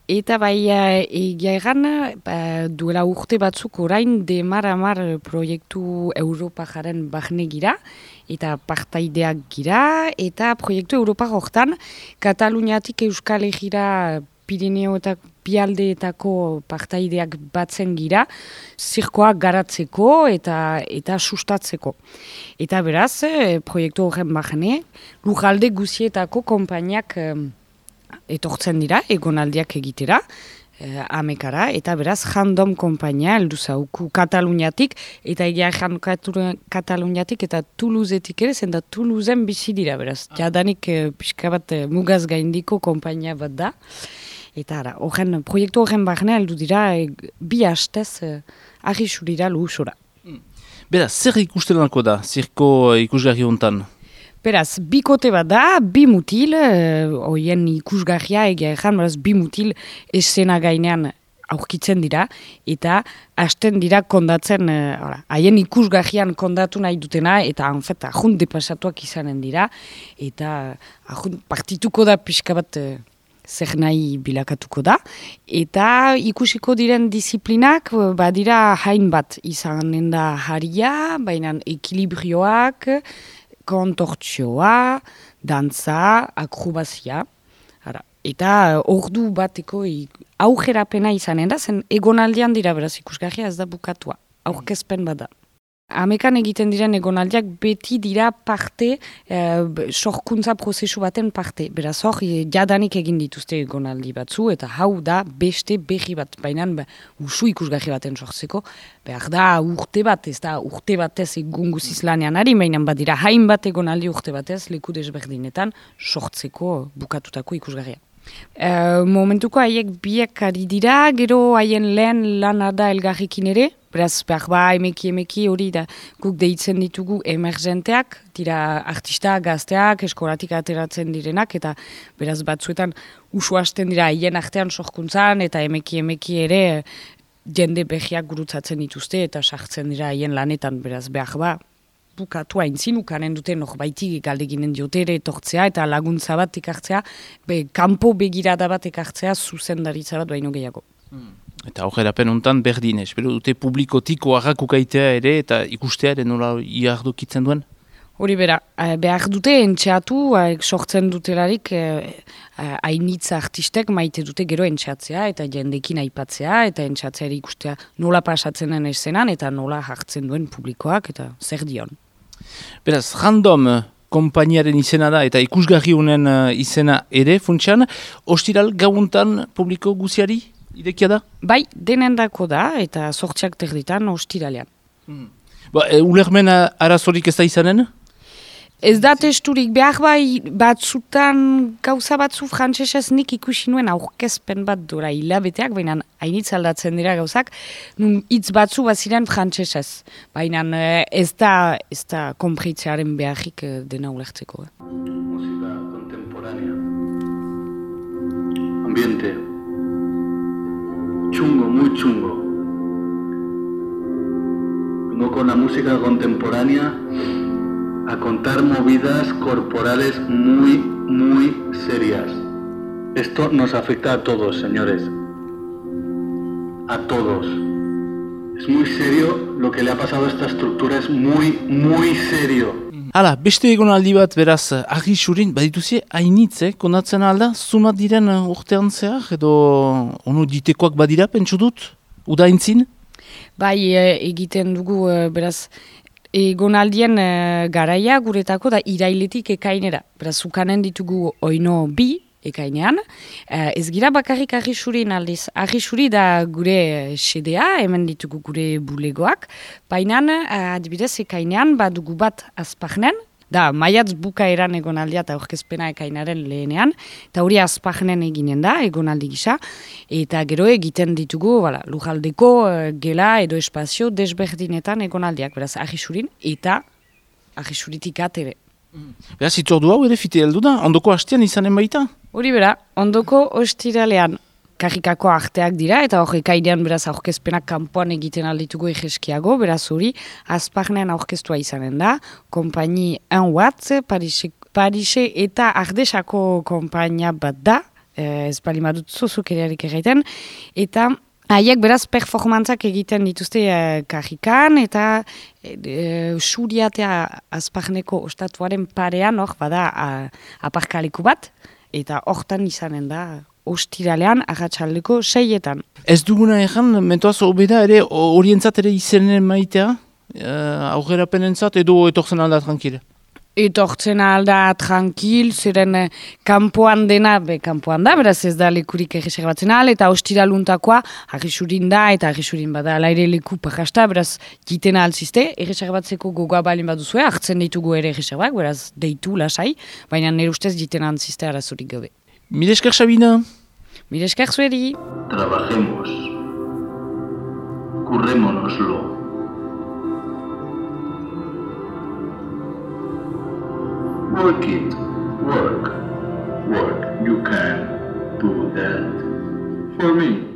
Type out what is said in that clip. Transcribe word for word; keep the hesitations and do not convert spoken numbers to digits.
Eta bai egia egan, ba, duela urte batzuk orain demar-amar proiektu Europa jaren bahne gira, eta partaideak gira, eta proiektu Europa hortan Kataluniatik Euskal Herrira Pirineo eta Bialdeetako partaideak batzen gira, zirkoak garatzeko eta eta sustatzeko. Eta beraz, proiektu horren bahne, lujalde guzietako konpainiak etortzen dira, egonaldiak egitera, eh, amekara, eta beraz, Jandom konpainia, heldu zauku Kataluniatik, eta egia jan Kataluniatik eta Toulousetik ere, zen da Toulousen bizi dira, beraz, jadanik eh, pixka bat eh, mugaz gaindiko konpainia bat da, eta ara, horren, proiektu horren barne, heldu dira, eh, bi hastez eh, ahisurira luhusora. Beraz, zer ikustenako da, zirko ikusgarri hontan? Beraz, bikote bat da, bi mutil, hoien uh, ikusgarria egia ezan, beraz, bi mutil esena gainean aurkitzen dira, eta hasten dira kondatzen, haien uh, ikusgarrian kondatu nahi dutena, eta hanfet, ahunt depasatuak izanen dira, eta ahunt partituko da pixka bat uh, zer nahi bilakatuko da, eta ikusiko diren disiplinak, badira hain bat izanen da haria, baina ekilibrioak, kontortzioa, dantza, akrobazia. Ara. Eta ordu bateko aujerapena izanen da, zen egonaldian dira beraz ikusgarria ez da bukatua. Aurkezpen bada. Amekan egiten diren egonaldiak beti dira parte, eh, sorkuntza prozesu baten parte. Beraz hor, jadanik egin dituzte egonaldi batzu, eta hau da beste berri bat. Baina usu ikusgarri baten sortzeko, behar da urte bat, ez da urte batez egun guziz lanean ari, baina badira hainbat egonaldi urte batez leku desberdinetan sortzeko bukatutako ikusgarria. Uh, momentuko haiek biek ari dira, gero haien lehen lana da elgarrekin ere, beraz behar ba emeki emeki hori da guk deitzen ditugu emergenteak, dira artista gazteak, eskolatik ateratzen direnak, eta beraz batzuetan usu hasten dira haien artean sorkuntzan, eta emeki emeki ere jende behiak gurutzatzen dituzte, eta sartzen dira haien lanetan, beraz behar ba bukatu haintzin, ukanen dute norbaitik galdeginen diotere etortzea eta laguntza bat ekartzea, be, kanpo begirada bat ekartzea zuzendaritza bat baino gehiago. Hmm. Eta aurrerapen hontan berdin, espero dute publikotik oharrak ukaitea ere eta ikustea ere nola iardokitzen duen? Hori bera, behar dute entxeatu, sortzen dutelarik hainitz artistek maite dute gero entxeatzea eta jendekin aipatzea eta entxeatzea ere ikustea nola pasatzen den eszenan eta nola hartzen duen publikoak eta zer dion. Beraz, Jandom konpainiaren izena da eta ikusgarri honen izena ere funtsan, ostiral gauuntan publiko guziari irekia da? Bai, denendako da eta sortziak terditan ostiralean. Hmm. Ba, e, ulermen arazorik ez da izanen? Ez da testurik, behar bai batzutan gauza batzu frantsesez nik ikusi nuen aurkezpen bat dora hilabeteak, baina hainitz aldatzen dira gauzak, nun hitz batzu baziren frantsesez. Baina ez da, ez da konpritzearen beharrik dena ulertzeko. Eh. Música contemporánea. Ambiente. Chungo, muy chungo. Vengo con la música contemporánea a contar movidas corporales muy, muy serias. Esto nos afecta a todos, señores. A todos. Es muy serio lo que le ha pasado a esta estructura, es muy, muy serio. Hala, beste egonaldi bat beraz, argi surin, badituzie, hainitze, konatzen alda, zumat diren urtean zehar, edo ono ditekoak badira, pentsu dut, udaintzin? Bai, egiten dugu, beraz, egonaldien uh, garaia guretako da irailetik ekainera. Beraz, ukanen ditugu oino bi ekainean. Uh, ez gira bakarrik argisurin aldiz. Argisuri da gure sedea, hemen ditugu gure bulegoak. Baina, uh, adibidez, ekainean badugu bat azpagnen. Da, maiatz bukaeran egonaldia eta aurkezpena ekainaren lehenean, eta hori azpagnen eginen da, egonaldi gisa, eta gero egiten ditugu, wala, lujaldeko uh, gela edo espazio desberdinetan egonaldiak, beraz, ahisurin eta ahisuritik atere. Beraz, itzordu hau ere fite heldu da, ondoko hastean izanen baita? Hori bera, ondoko ostiralean karrikako arteak dira, eta hori ekainean beraz aurkezpenak kanpoan egiten alditugu egeskiago, beraz hori azpagnean aurkeztua izanen da, konpaini un watt, Parise, Parise eta Ardesako konpainia bat da, ez bali madut zuzuk eriarik egiten, eta haiek beraz performantzak egiten dituzte uh, kajikan, eta uh, suriatea azparneko ostatuaren parean, hor, bada uh, aparkaleku bat, eta hortan izanen da ostiralean arratsaldeko seietan. Ez duguna egan, mentoaz obeda ere orientzat ere izenen maitea, uh, aurrerapenentzat edo etortzen alda tranquil? Etortzen alda tranquil, ziren eh, kanpoan dena, be kanpoan da, beraz ez da lekurik erreserbatzen al, eta ostiraluntakoa argisurin da, eta argisurin bada alaire leku pakasta, beraz jiten alzizte, erreserbatzeko gogoa balin baduzue, hartzen ditugu ere erreserbak, beraz deitu lasai, baina nire ustez jiten alzizte arazurik gabe. Mire esker, Sabina. Mire esker zueri. Trabajemos. Currémonoslo. Work it. Work. Work. You can do that. For me.